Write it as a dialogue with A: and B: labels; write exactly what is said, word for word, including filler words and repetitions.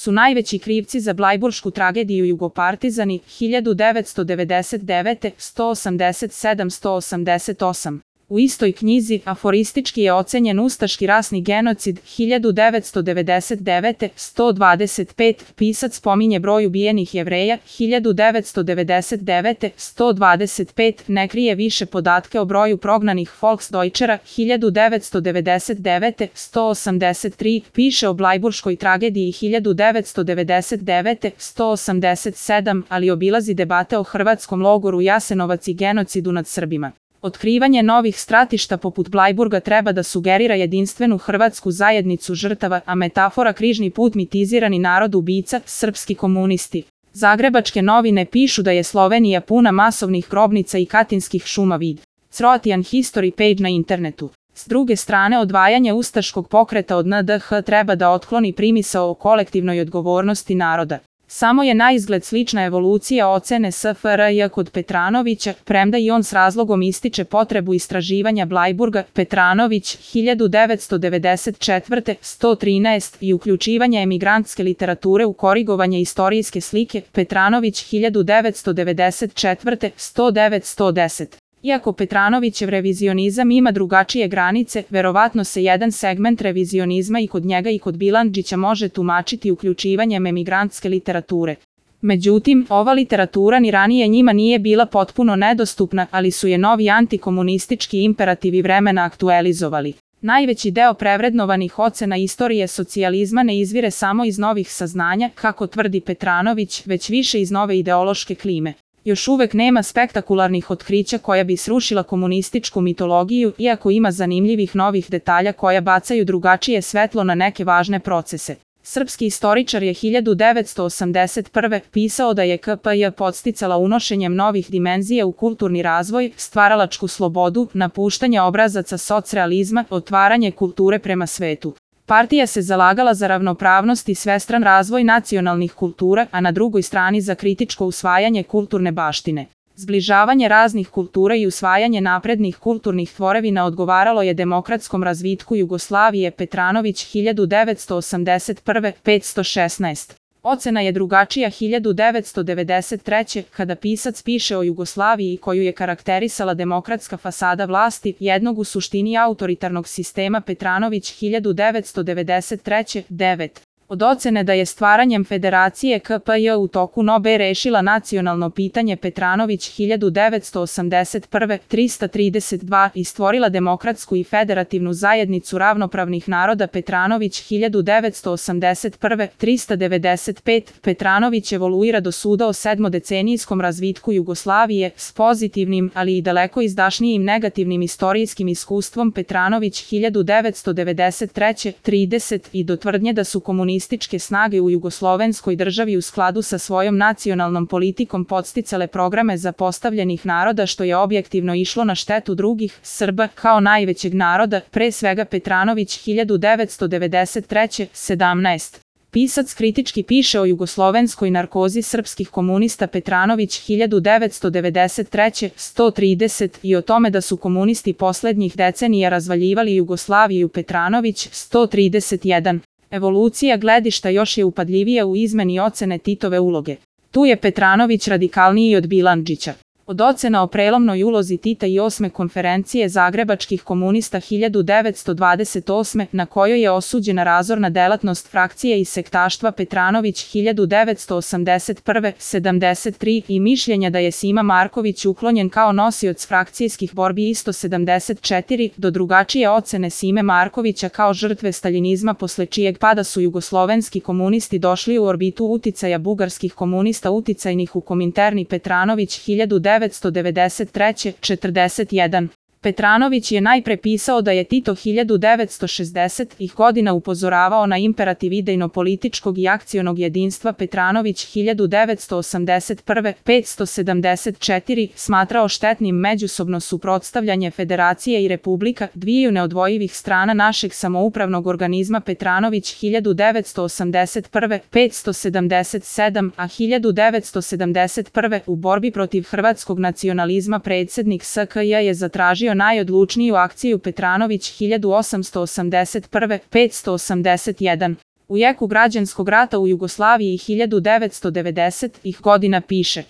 A: su najveći krivci za blajburšku tragediju Jugopartizani hiljadu devetsto devedeset devete. sto osamdeset sedam do sto osamdeset osam. U istoj knjizi aforistički je ocenjen ustaški rasni genocid hiljadu devetsto devedeset devete. sto dvadeset pet. Pisac spominje broj ubijenih Jevreja hiljadu devetsto devedeset devete. sto dvadeset pet. Ne krije više podatke o broju prognanih Volksdeutschera hiljadu devetsto devedeset devete. sto osamdeset tri. Piše o blajburškoj tragediji hiljadu devetsto devedeset devete. sto osamdeset sedam. Ali obilazi debate o hrvatskom logoru Jasenovac i genocidu nad Srbima. Otkrivanje novih stratišta poput Blajburga treba da sugerira jedinstvenu hrvatsku zajednicu žrtava, a metafora križni put mitizirani narod ubica, srpski komunisti. Zagrebačke novine pišu da je Slovenija puna masovnih grobnica i katinskih šuma vid. Croatian History page na internetu. S druge strane, odvajanje ustaškog pokreta od N D H treba da otkloni primisao o kolektivnoj odgovornosti naroda. Samo je naizgled slična evolucija ocene S F R J kod Petranovića, premda i on s razlogom ističe potrebu istraživanja Blajburga. Petranović hiljadu devetsto devedeset četvrte. sto trinaest. I uključivanje emigrantske literature u korigovanje istorijske slike. Petranović hiljadu devetsto devedeset četvrte. sto devet do sto deset. Iako Petranovićev revizionizam ima drugačije granice, verovatno se jedan segment revizionizma i kod njega i kod Bilandžića može tumačiti uključivanjem emigrantske literature. Međutim, ova literatura ni ranije njima nije bila potpuno nedostupna, ali su je novi antikomunistički imperativi vremena aktualizovali. Najveći deo prevrednovanih ocena istorije socijalizma ne izvire samo iz novih saznanja, kako tvrdi Petranović, već više iz nove ideološke klime. Još uvek nema spektakularnih otkrića koja bi srušila komunističku mitologiju, iako ima zanimljivih novih detalja koja bacaju drugačije svetlo na neke važne procese. Srpski istoričar je hiljadu devetsto osamdeset prve. pisao da je K P J podsticala unošenjem novih dimenzija u kulturni razvoj, stvaralačku slobodu, napuštanje obrazaca socrealizma, otvaranje kulture prema svetu. Partija se zalagala za ravnopravnost i svestran razvoj nacionalnih kultura, a na drugoj strani za kritičko usvajanje kulturne baštine. Zbližavanje raznih kultura i usvajanje naprednih kulturnih tvorevina odgovaralo je demokratskom razvitku Jugoslavije. Petranović hiljadu devetsto osamdeset prve. petsto šesnaest. Ocena je drugačija hiljadu devetsto devedeset treće. kada pisac piše o Jugoslaviji koju je karakterisala demokratska fasada vlasti, jednog u suštini autoritarnog sistema. Petranović hiljadu devetsto devedeset treće. devet. Od ocene da je stvaranjem Federacije K P J u toku N O B E rešila nacionalno pitanje. Petranović hiljadu devetsto osamdeset prve. trista trideset dva. i stvorila demokratsku i federativnu zajednicu ravnopravnih naroda. Petranović hiljadu devetsto osamdeset prve. trista devedeset pet. Petranović evoluira do suda o sedmodecenijskom razvitku Jugoslavije s pozitivnim, ali i daleko izdašnijim negativnim istorijskim iskustvom. Petranović hiljadu devetsto devedeset treće. trideset. i do tvrdnje da su komunistički komunističke snage u jugoslovenskoj državi u skladu sa svojom nacionalnom politikom podsticale programe zapostavljenih naroda, što je objektivno išlo na štetu drugih, Srba, kao najvećeg naroda, pre svega. Petranović hiljadu devetsto devedeset treće. sedamnaest. Pisac kritički piše o jugoslovenskoj narkozi srpskih komunista. Petranović hiljadu devetsto devedeset treće. sto trideset. i o tome da su komunisti poslednjih decenija razvaljivali Jugoslaviju. Petranović sto trideset jedan. Evolucija gledišta još je upadljivija u izmeni ocene Titove uloge. Tu je Petranović radikalniji od Bilandžića. Od ocena o prelomnoj ulozi Tita i osme konferencije zagrebačkih komunista hiljadu devetsto dvadeset osme. na kojoj je osuđena razorna delatnost frakcije i sektaštva. Petranović hiljadu devetsto osamdeset prve. sedamdeset tri. i mišljenja da je Sima Marković uklonjen kao nosioc frakcijskih borbi isto sedamdeset četiri. do drugačije ocene Sime Markovića kao žrtve staljinizma posle čijeg pada su jugoslovenski komunisti došli u orbitu uticaja bugarskih komunista uticajnih u Kominterni. Petranović hiljadu devetsto devedeset treće. četrdeset jedan. Petranović je najpre pisao da je Tito hiljadu devetsto šezdesetih godina upozoravao na imperativ idejno-političkog i akcionog jedinstva. Petranović hiljadu devetsto osamdeset prve. petsto sedamdeset četiri. smatrao štetnim međusobno suprotstavljanje federacije i republika, dviju neodvojivih strana našeg samoupravnog organizma. Petranović hiljadu devetsto osamdeset prve. petsto sedamdeset sedam. a hiljadu devetsto sedamdeset prve. u borbi protiv hrvatskog nacionalizma predsjednik S K J je zatražio najodlučniju akciju. Petranović hiljadu osamsto osamdeset prve. petsto osamdeset jedan. U jeku građanskog rata u Jugoslaviji hiljadu devetsto devedesetih godina piše: